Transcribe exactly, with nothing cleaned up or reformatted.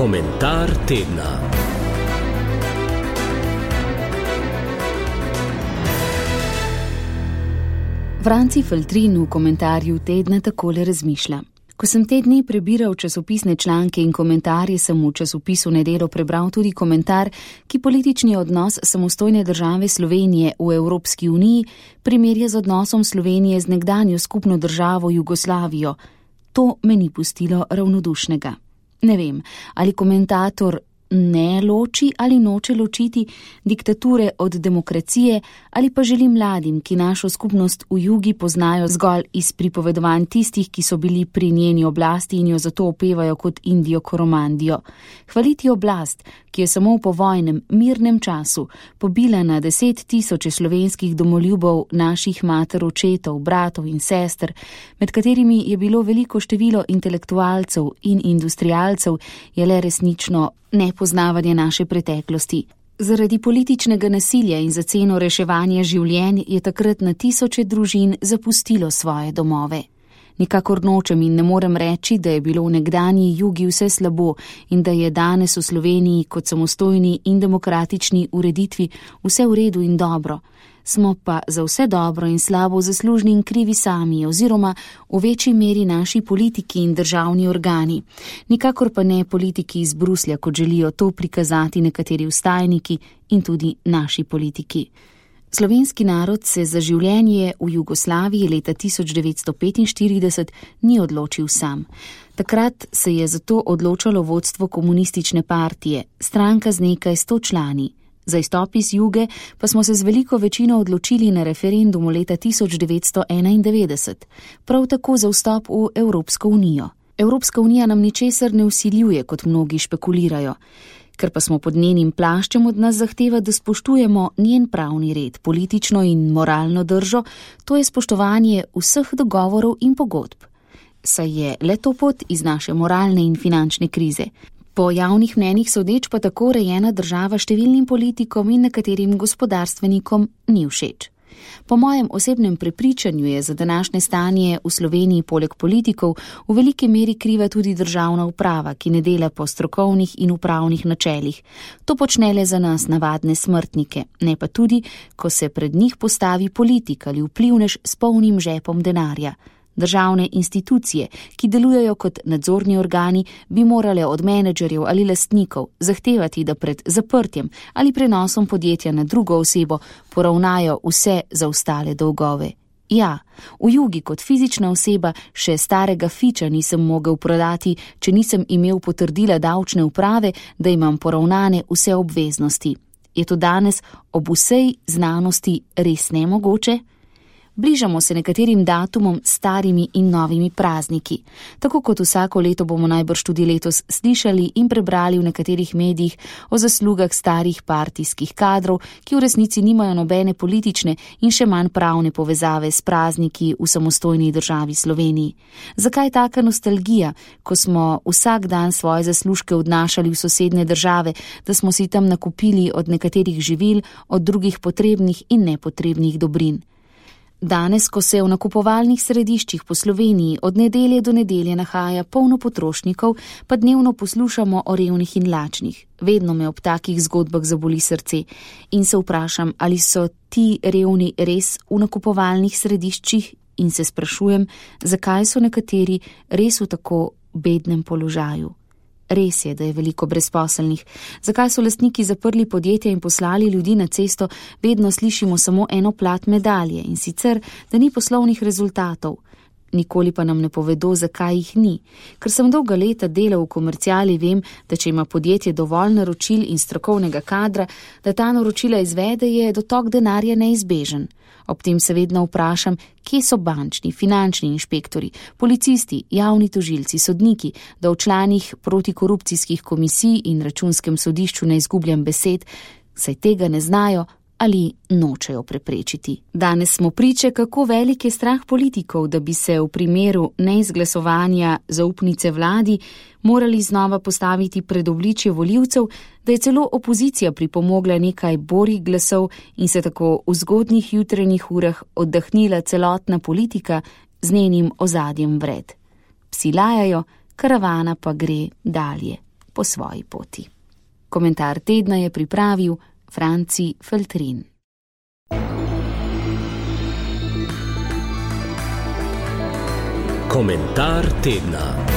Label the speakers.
Speaker 1: Komentar tedna.
Speaker 2: Franci Feltrin v komentarju tedna takole razmišlja. Ko sem te dni prebiral časopisne članke in komentarje, sem v časopisu Nedelo prebral tudi komentar, ki politični odnos samostojne države Slovenije v Evropski uniji primerja z odnosom Slovenije z nekdanjo skupno državo Jugoslavijo. To me ni pustilo ravnodušnega. Ne vem, ali komentator ne loči ali noče ločiti diktature od demokracije, ali pa želi mladim, ki našo skupnost v jugi poznajo zgolj iz pripovedovanj tistih, ki so bili pri njeni oblasti in jo zato opevajo kot Indijo Koromandijo. Hvaliti oblast, ki je samo v povojnem, mirnem času pobila na deset tisoče slovenskih domoljubov naših mater, očetov, bratov in sester, med katerimi je bilo veliko število intelektualcev in industrialcev, je le resnično nepoznavanje naše preteklosti. Zaradi političnega nasilja in za ceno reševanja življenj je takrat na tisoče družin zapustilo svoje domove. Nikakor nočem in ne morem reči, da je bilo v nekdanji jugi vse slabo in da je danes v Sloveniji kot samostojni in demokratični ureditvi vse v redu in dobro. Smo pa za vse dobro in slabo zaslužni in krivi sami oziroma v večji meri naši politiki in državni organi. Nikakor pa ne politiki iz Bruslja, kot želijo to prikazati nekateri vstajniki in tudi naši politiki. Slovenski narod se za življenje v Jugoslaviji leta tisoč devetsto petinštirideset ni odločil sam. Takrat se je zato odločalo vodstvo komunistične partije, stranka z nekaj sto člani. Za izstop iz juge pa smo se z veliko večino odločili na referendumu leta tisoč devetsto enaindevetdeset, prav tako za vstop v Evropsko unijo. Evropska unija nam ničesar ne vsiljuje, kot mnogi špekulirajo. Ker pa smo pod njenim plaščem, od nas zahteva, da spoštujemo njen pravni red, politično in moralno držo, to je spoštovanje vseh dogovorov in pogodb. Saj je le to pot iz naše moralne in finančne krize. Po javnih mnenjih sodeč pa tako rejena država številnim politikom in nekaterim gospodarstvenikom ni všeč. Po mojem osebnem prepričanju je za današnje stanje v Sloveniji poleg politikov v veliki meri kriva tudi državna uprava, ki ne dela po strokovnih in upravnih načelih. To počne le za nas navadne smrtnike, ne pa tudi, ko se pred njih postavi politik ali vplivnež s polnim žepom denarja. Državne institucije, ki delujejo kot nadzorni organi, bi morale od menedžerjev ali lastnikov zahtevati, da pred zaprtjem ali prenosom podjetja na drugo osebo poravnajo vse zaostale dolgove. Ja, v jugi kot fizična oseba še starega fiča nisem mogel prodati, če nisem imel potrdila davčne uprave, da imam poravnane vse obveznosti. Je to danes ob vsej znanosti res nemogoče? Bližamo se nekaterim datumom, starimi in novimi prazniki. Tako kot vsako leto bomo najbrž tudi letos slišali in prebrali v nekaterih medijih o zaslugah starih partijskih kadrov, ki v resnici nimajo nobene politične in še manj pravne povezave s prazniki v samostojni državi Sloveniji. Zakaj taka nostalgija, ko smo vsak dan svoje zaslužke odnašali v sosednje države, da smo si tam nakupili od nekaterih živil, od drugih potrebnih in nepotrebnih dobrin? Danes, ko se v nakupovalnih središčih po Sloveniji od nedelje do nedelje nahaja polno potrošnikov, pa dnevno poslušamo o revnih in lačnih. Vedno me ob takih zgodbah zaboli srce in se vprašam, ali so ti revni res v nakupovalnih središčih, in se sprašujem, zakaj so nekateri res v tako bednem položaju. Res je, da je veliko brezposelnih. Zakaj so lastniki zaprli podjetja in poslali ljudi na cesto, vedno slišimo samo eno plat medalje, in sicer, da ni poslovnih rezultatov. Nikoli pa nam ne povedo, zakaj jih ni. Ker sem dolga leta delal v komerciali, vem, da če ima podjetje dovolj naročil in strokovnega kadra, da ta naročila izvede, je dotok denarja neizbežen. Ob tem se vedno vprašam, kje so bančni, finančni inšpektori, policisti, javni tožilci, sodniki, da v članih protikorupcijskih komisij in računskem sodišču ne izgubljam besed, saj tega ne znajo ali nočejo preprečiti. Danes smo priče, kako velik je strah politikov, da bi se v primeru neizglasovanja zaupnice vladi morali znova postaviti pred obličje volivcev, da je celo opozicija pripomogla nekaj borih glasov in se tako v zgodnjih jutranjih urah oddahnila celotna politika z njenim ozadjem vred. Psi lajajo, karavana pa gre dalje. po svoji poti. Komentar tedna je pripravil Franci Feltrin.
Speaker 1: Komentar tedna.